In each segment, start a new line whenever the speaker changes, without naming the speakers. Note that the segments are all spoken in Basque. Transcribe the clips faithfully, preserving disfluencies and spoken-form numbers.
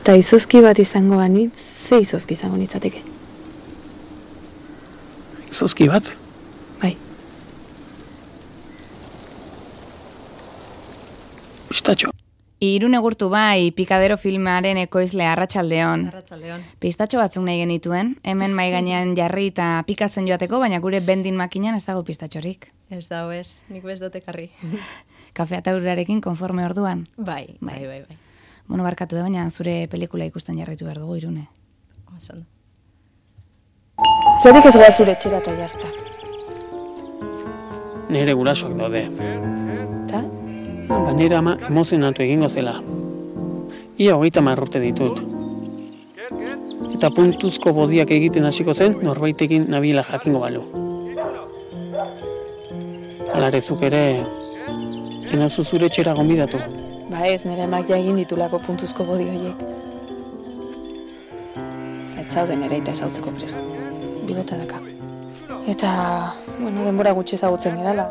Eta izozki bat izango banitz, ze izozki izango nitzateke?
Izozki bat?
Bai.
Pistatxo.
Irune Gurtu bai, Pikadero filmaren ekoizle Arratsaldeon.
Arratsaldeon.
Pistatxo batzuk nahi genituen, hemen mai gainean jarri eta pikatzen joateko, baina gure bendin makinan ez dago pistatxorik.
Ez dago ez, nik bez dut ekarri.
Kafea eta urarekin konforme orduan.
Bai, bai, bai, bai.
Bueno, barkatu da, baina zure pelikula ikusten jarraitu behar dugu, Irune.
Osan.
Zerdik ez goa zure etxera eta jazta.
Nere gurasoak daude.
Ta?
Ba, nire ama emozionatu egingo zela. Ia hogeita marrote ditut. Eta puntuzko bodiak egiten hasiko zen, norbaitekin nabiela jakingo balu. Alarezuk ere, enauzu zure etxera gonbidatu.
Ba ez, nire emak ja egin ditulako puntuzko bodi horiek. Ez zauden ere eta ezautzeko prest. Bigota daka. Eta, bueno, denbora gutxi ezagutzen gerala.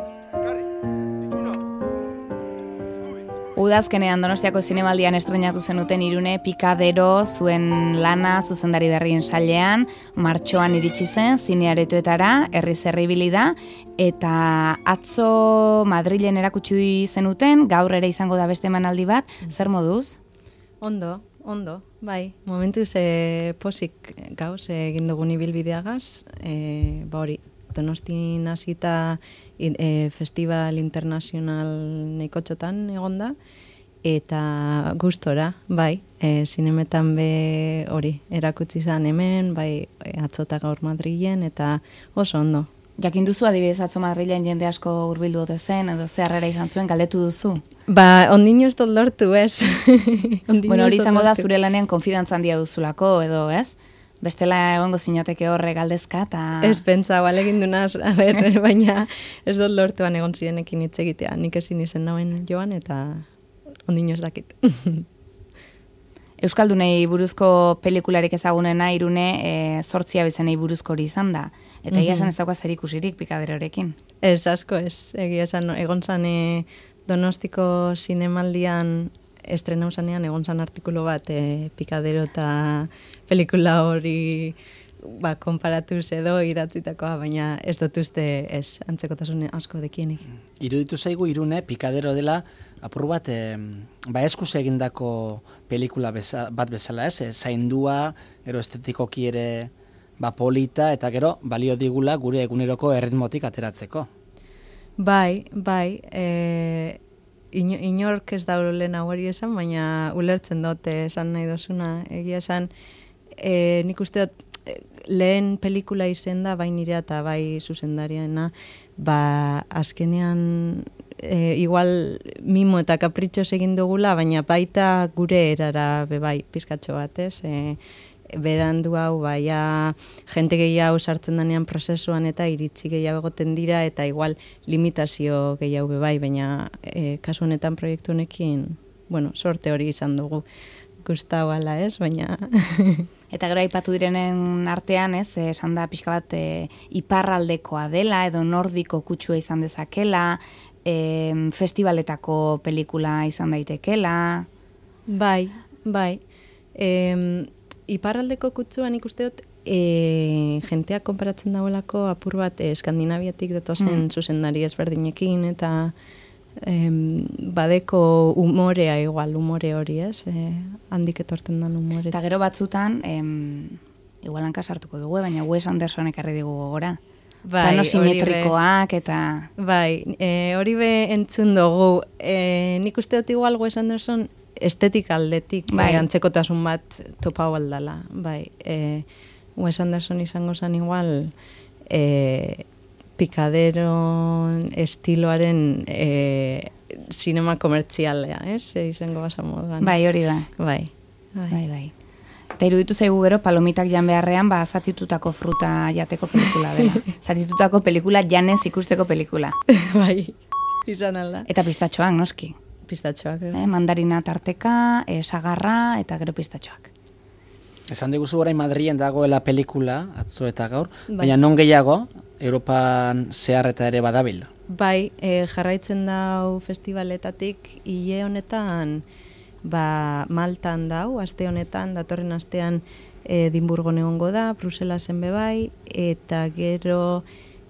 Udazkenean Donostiako zinemaldian estrenatu zenuten Irune Pikadero zuen lana zuzendari berrien sailean, martxoan iritsi zen zinearetoetara, herriz herri ibili da, eta atzo Madrilen erakutsi zenuten, gaur ere izango da beste emanaldi bat, zer moduz?
Ondo, ondo, bai. Momentuz e, posik gauz egin dugun ibilbideagaz, e, ba hori, Donostin hasita e, festival internazional neikotxotan egonda, eta gustora, bai, e, zinemetan be hori, erakutsi zan hemen, bai, e, atzota gaur Madrilen, eta oso ondo.
Jakin duzu adibidez atzo Madrilen jende asko hurbildu ote zen, edo ze harrera izan zuen, galdetu duzu?
Ba, ondino ez dut lortu, ez?
Bueno, hori izango da zure lanean konfidantza handia duzulako, edo, ez? Bestela egongo zinateke horre galdezka, eta...
Ez pentsa, bale egin dunaz, a ber, baina ez dut lortuan egon zirenekin hitz egitea. Nik ezin izen nauen joan, eta ondino ez dakit.
Euskaldunei buruzko pelikularik ezagunena Irune e, zortzia bezenei buruzko hori izan da. Eta egia esan ez dauka zer ikusirik Pikaderorekin.
Ez asko ez, egia esan egon zan e, Donostiko zinemaldian estrenau zanean egon zan artikulu bat e, Pikadero eta pelikula hori ba, konparatuz edo idatzitakoa, baina ez dut uste ez antzekotasun asko dekienik.
Iruditu zaigu Irune Pikadero dela apur bat e, ba eskuz egindako pelikula beza, bat bezala ez, e, zaindua, gero estetikoki ere ba polita, eta gero balio digula gure eguneroko erritmotik ateratzeko.
Bai, bai, e, ino, inork ez da lehen hori esan, baina ulertzen dute esan nahi dozuna, egia esan, e, nik uste dut lehen pelikula izen da, bai nirea eta bai zuzendariena, ba azkenean e, igual mimo eta kapritxoz egin dugula, baina baita gure erara bebai pizkatxo bat, ez? E, berandu hau, baia jente gehiago sartzen danean prozesuan eta iritzi gehiago egoten dira, eta igual limitazio gehiago bebai, baina e, kasu honetan proiektu honekin, bueno, sorte hori izan dugu. Gustau ala, ez, baina...
Eta gero aipatu direnen artean, ez, esan da pixka bat e, iparraldekoa dela, edo nordiko kutsua izan dezakela, e, festivaletako pelikula izan daitekela...
Bai, bai. E, iparraldeko kutsua nik uste dut, e, jenteak konparatzen dagoelako apur bat e, Eskandinaviatik datozen hmm. zuzendari ezberdinekin, eta... Em, badeko umorea igual, umore hori, ez? E, handik etorten den umore.
Eta gero batzutan, em, igual hanka sartuko dugu, baina Wes Andersonek arri digu gogora.
Bai,
plano simetrikoak eta...
Bai, e, hori be entzun dugu. E, nik uste dut igual Wes Anderson estetik aldetik, bai. E, antzekotasun bat topau aldala. Bai, e, Wes Anderson izango zen igual... E, Pikadero estiloaren e, sinema komertzialea, ez? E, izango basa moduan.
Bai, hori da.
Bai,
bai. bai, bai. Eta iruditu zaigu gero palomitak jan beharrean, ba, zatitutako fruta jateko pelikula dela. Zatitutako pelikula janez ikusteko pelikula.
Bai, izan alda.
Eta pistatxoak, noski.
Pistatxoak.
Eh, mandarina tarteka, eh, sagarra eta gero pistatxoak.
Esan diguzu orain Madrilen dagoela pelikula, atzo eta gaur, bai. Baina non gehiago, Europan zehar eta ere badabil?
Bai, e, jarraitzen dau festivaletatik, hile honetan ba, Maltan dau, aste honetan, datorren astean Edimburgon egongo da, Bruselasen bebai, eta gero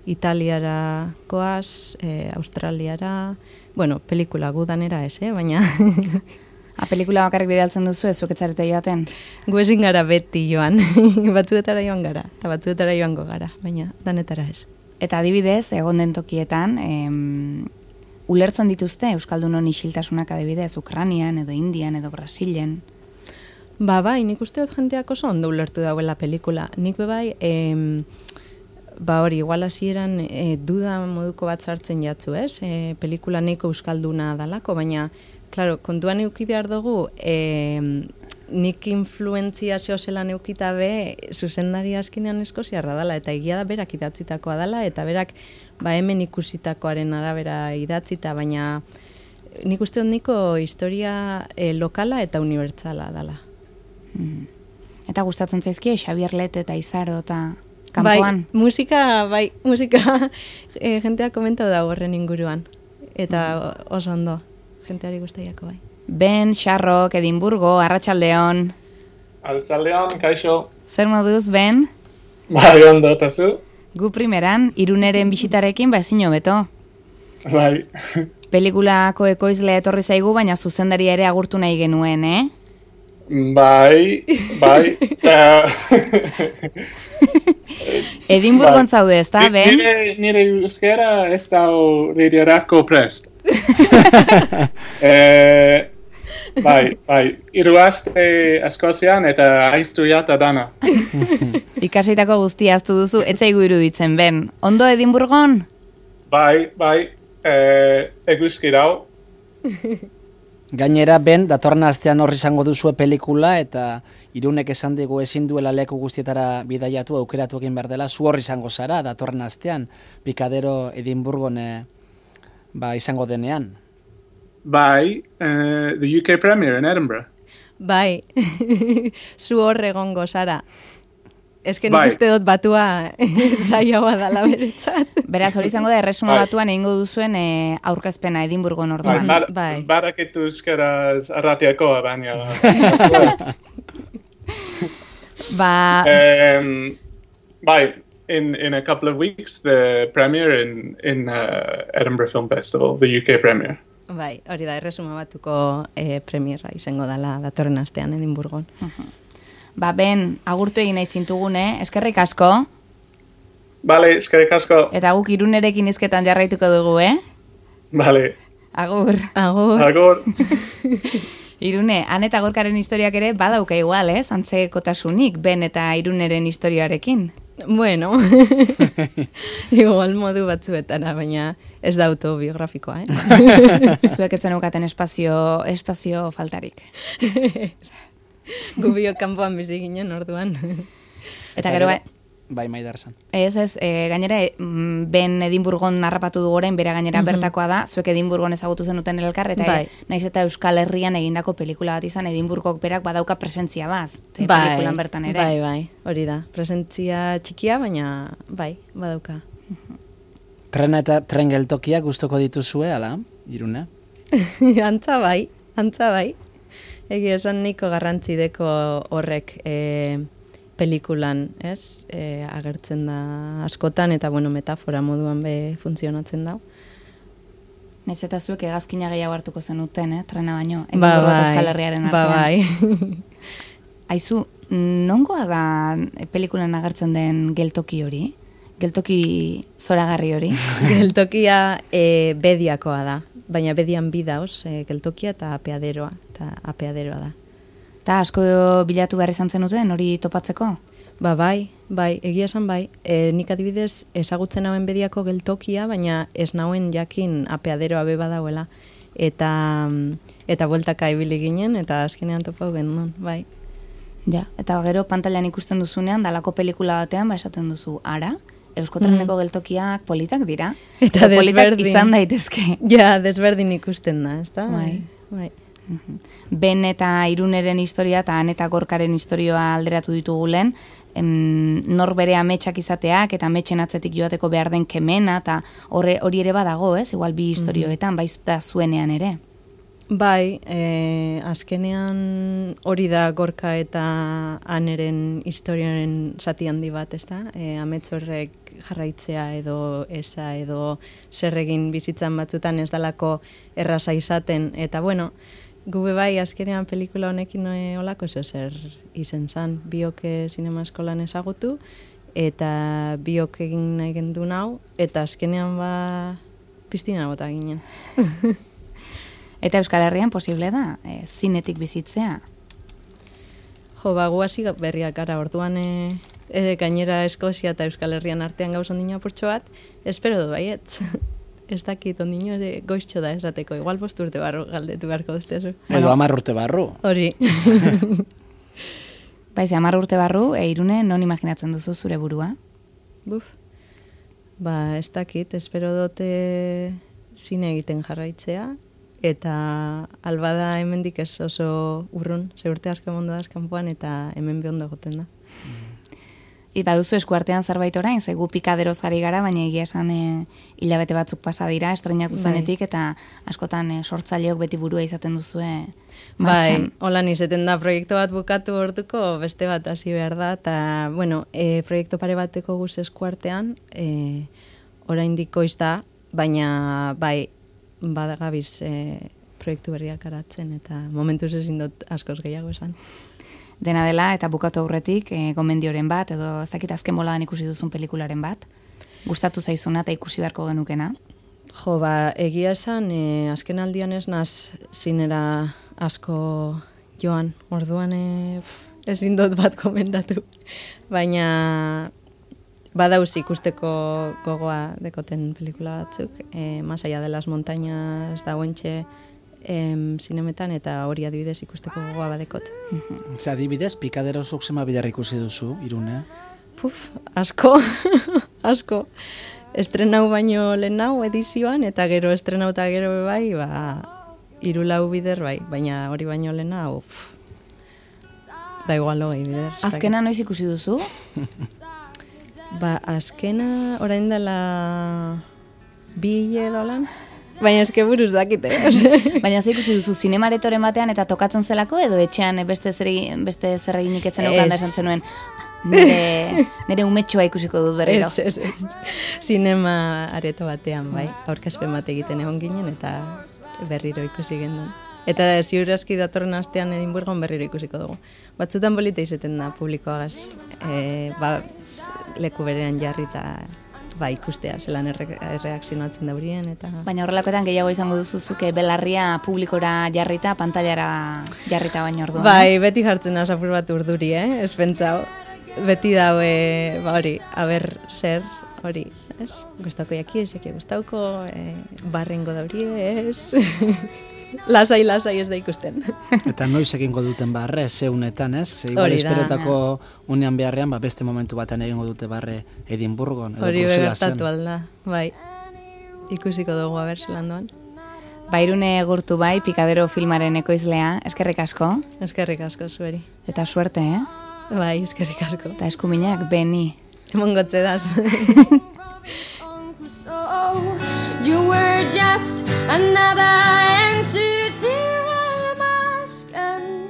Italiara koaz, e, Australiara, bueno, pelikula gudanera ez, eh? Baina...
A pelikula bakarrik bidaltzen duzu, ez zuek etzarete joaten?
Gu ezin gara beti joan, batzuetara joan gara, eta batzuetara joango gara, baina danetara ez.
Eta adibidez, egon den tokietan, em, ulertzen dituzte Euskaldunon isiltasunak adibidez, Ukranian, edo Indian, edo Brasilen?
Ba, bai, nik uste dut jenteak oso ondo ulertu dauela pelikula. Nik bebai, em, ba hori, igual hasieran e, duda moduko bat sartzen jatzu, ez? E, pelikula neko euskalduna dalako, baina, claro, kontuan euki behar dugu, e, nik influentzia zehozelan eukita be, zuzendari askinean eskoziarra dala, eta egia da berak idatzitakoa dala, eta berak ba hemen ikusitakoaren arabera idatzita, baina nik uste dut niko historia e, lokala eta unibertsala dala.
Mm. Eta gustatzen zaizkie Xabier Let eta Izaro eta kanpoan?
Bai, musika, bai, musika e, jenteak komentau da horren inguruan. Eta oso ondo, jenteari gustaiako bai.
Ben, Xarrok, Edimburgo, Arratsaldeon.
Arratsaldeon, kaixo.
Zer moduz, Ben?
Bai, ondo, eta zu?
Gu primeran, Iruneren bisitarekin ba ezin hobeto.
Bai.
Pelikulako ekoizlea etorri zaigu, baina zuzendaria ere agurtu nahi genuen, eh?
Bai, bai.
Edimburgon zaude, ez da, Ben?
Nire, nire euskera ez da rediorako prest. eh, bai, bai. Hiru aste Eskozian eta aiztuiata dana.
Ikasitako guztia aztu duzu, ez zaigu iruditzen, Ben. Ondo Edimburgon?
Bai, bai. Eh, eguzki dau.
Gainera, Ben, datorren astean horri izango duzue pelikula, eta Irunek esan digu ezin duela leku guztietara bidaiatu, aukeratu egin behar dela, zu horri izango zara, datorren astean, Pikadero Edimburgon eh, ba, izango denean.
Bai, uh, the U K Premier in Edinburgh.
Bai, zu hor egongo zara. Ez que nik
Bai.
uste dut batua saioa dala beretzat.
Beraz, hori izango da, erresuma
Bai.
batuan egingo duzuen eh, aurkezpena Edimburgon
Bai,
orduan.
bar,
bai.
Barakitu euskaraz arratiakoa, baina...
Ba,
um, bai, in, in a couple of weeks, the premiere in, in uh, Edinburgh Film Festival, the U K premiere.
Bai, hori da, erresuma batuko eh, premierra izango dala datorren astean Edimburgon.
ba, Ben, agurtu egin nahi zintugune, eskerrik asko,
Bale, eskerrik asko.
eta guk Irunerekin hizketan jarraituko dugu, eh?
Bale,
Agur.
Agur.
agor.
Irune, Han eta Gorkaren historiak ere badauka igual, ez? Antzekotasunik, Ben eta Iruneren historiarekin.
Bueno, igual modu batzuetana, baina ez da autobiografikoa, eh?
Zuek etzen ukaten espazio, espazio faltarik.
Gubio kanpoan bizi ginen orduan.
Eta gero, bai,
Bai, Maidar esan.
ez ez, e, gainera, e, mm, Ben Edimburgon narrapatu du goren, bera gainera bertakoa da, zuek Edimburgon ezagutu zenuten elkar, eta
Bai.
e, naiz eta Euskal Herrian egindako pelikula bat izan, Edimburgok berak badauka presentzia baz, ze
Bai,
pelikulan bertan ere.
bai, bai, hori da. Presentzia txikia, baina bai, badauka.
Trena eta tren geltokiak gustoko dituzue, ala, Irune?
Antza bai, antza bai. Egia esan niko garrantzi deko horrek e, pelikulan, ez? E, agertzen da askotan, eta bueno, metafora moduan be funtzionatzen da.
Naiz eta zuek hegazkina gehiago hartuko zenuten, eh? Trena baino,
Ba,
Edimburgo eta
bai,
Euskal Herriaren
ba,
artean.
bai.
Aizu, nongoa da pelikulan agertzen den geltoki hori? Geltoki zoragarri hori?
Geltokia e, bediakoa da, baina bedian bi dauz, e, geltokia eta apeaderoa, eta apeaderoa da.
Eta asko bilatu behar izan zenuten hori topatzeko?
Ba, bai, bai, egia esan bai. E, nik adibidez ezagutzen hauen bediako geltokia, baina ez nauen jakin apeaderoa be badauela. Eta, eta bueltaka ibili ginen, eta azkenean topau genuen, bai.
Ja, eta gero pantailan ikusten duzunean, dalako pelikula batean, ba esaten duzu, ara, Euskotreneko geltokiak politak dira.
Eta
Edo politak
desberdin.
izan daitezke.
Ja, desberdin ikusten da, ezta?
Bai.
Bai.
Ben eta Iruneren historia eta Han eta Gorkaren historioa alderatu ditugu lehen, em, nor bere ametsak izateak eta ametsen atzetik joateko behar den kemena, eta horre- hori ere badago, ez? Igual bi historioetan, bai da zuenean ere.
Bai, e, azkenean hori da Gorka eta Aneren historiaren zati handi bat, ezta? E, amets horrek jarraitzea edo esa edo zer egin bizitzan batzutan ez dalako erraza izaten. Eta bueno, gube bai azkenean pelikula honekin e, olako zer izen zan. Biok zinema eskolan ezagutu eta biok egin nahi gendu nau eta azkenean ba piztina bota ginen.
Eta Euskal Herrian posible da, e, zinetik bizitzea?
Jo, ba, guazi berriak gara, orduan e, e, gainera Eskozia eta Euskal Herrian artean gauz ondino apurtxo bat, espero du baietz. Ez dakit ondino e, goiztxo da esateko, igual bost urte barru galdetu beharko duztezu.
Edo hamar urte barru.
Hori.
Baiz, hamar urte barru, e, Irune, non imaginatzen duzu zure burua?
Buf. Ba, ez dakit, espero dute zine egiten jarraitzea, eta albada hemendik ez oso urrun, ze urte asko mondo da kanpoan eta hemen behondo goten da.
I baduzu eskuartean zerbait orain, ze gu pikaderoz ari gara, baina egia esan e, hilabete batzuk pasa dira, estrenatu zenetik, eta askotan e, sortzaileok beti burua izaten duzue martxan.
Bai, holan izeten da, proiektu bat bukatu orduko, beste bat hasi behar da, eta, bueno, e, proiektu pare bateko guz eskuartean, e, oraindik goiz da, baina, bai, badagabiz e, proiektu berriak aratzen, eta momentuz ezin dut askoz gehiago esan.
Dena dela, eta bukatu aurretik, e, gomendioren bat, edo ez dakit azken boladan ikusi duzun pelikularen bat, gustatu zaizuna eta ikusi beharko genukena?
Jo, ba, egia esan, e, azken aldian ez naz zinera asko joan, orduan e, ezin dut bat komendatu, baina badauz ikusteko gogoa dekoten pelikula batzuk, e, Más allá de las montañas dagoentxe em, zinemetan, eta hori adibidez ikusteko gogoa badekot.
Ze adibidez, pikadero zuk zema bidar ikusi duzu, Irune?
Puf, asko, asko. Estrenau baino lehen nau edizioan, eta gero estrenau eta gero bai, ba, hiru lau bider bai, baina hori baino lehen nau, da igual hogei bider.
Azkena noiz ikusi duzu?
Ba, azkena orain dela bi edo lan, baina eske buruz dakite.
Baina ze ikusi duzu zinemaretoren batean eta tokatzen zelako, edo etxean beste zer beste zer eginik etzen eukan da esan zenuen, nire, nire umetxoa ikusiko dut berriro.
Ez, ez, ez. Zinema areto batean, bai, aurkezpen bat egiten egon ginen eta berriro ikusi gendun. Eta ziur aski datorren astean Edinburgon berriro ikusiko dugu. Batzutan polita izeten da publikoagaz, e, ba, leku berean jarri eta ba, ikustea, zelan erre, erreakzionatzen daurien. Eta...
Baina horrelakoetan gehiago izango duzuzuke belarria publikora jarrita, pantailara jarrita baino orduan.
Bai, beti jartzen da apur bat urduri, eh? Ez pentsau. Beti daue, ba hori, aber zer, hori, ez? Gustauko jaki, ez jaki gustauko, e, barrengo daurie, ez? Lasai, lasai ez da ikusten.
Eta noiz egingo duten barre, ze unetan, ez? Ze igual esperetako unean beharrean, ba, beste momentu batean egingo dute barre Edinburgon, edo
hori
Bruselasen.
begertatu alda, bai. Ikusiko dugu aber zelan doan.
Bairune gurtu bai, Pikadero filmaren ekoizlea, eskerrik asko.
Eskerrik asko zueri.
Eta suerte, eh?
Bai, eskerrik asko.
Eta eskuminak, beni.
Emongotze daz.
You were just another entity with a mask, and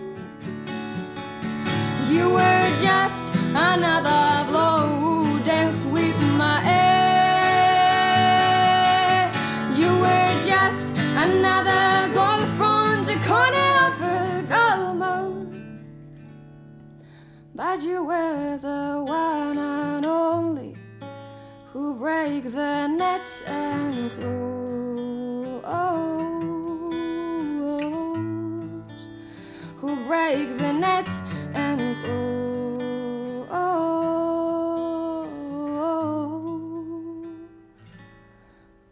you were just another blow dance with my air. You were just another girl from the corner of a Galmo, but you were the one and only who break the net and grows, who break the net and grows.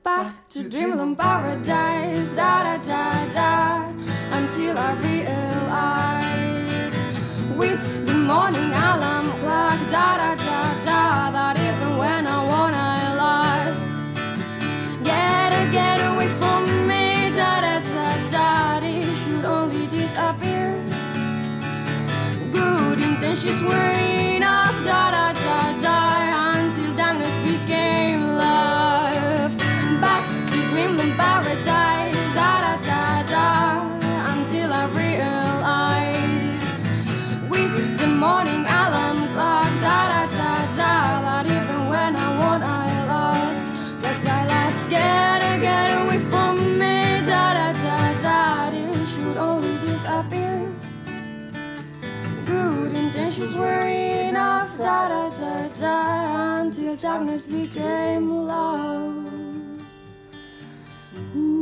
Back to dreamland paradise, da da da da, until I realize with the morning alarm clock, da da da da, that even when I want I lost. Get get away from me, da da da da, they should only disappear. Good intentions were enough, da da da da, until darkness became love. Back to dreamland paradise, da da da da. beer. Good intentions were enough, da da da da, until darkness became love. Ooh.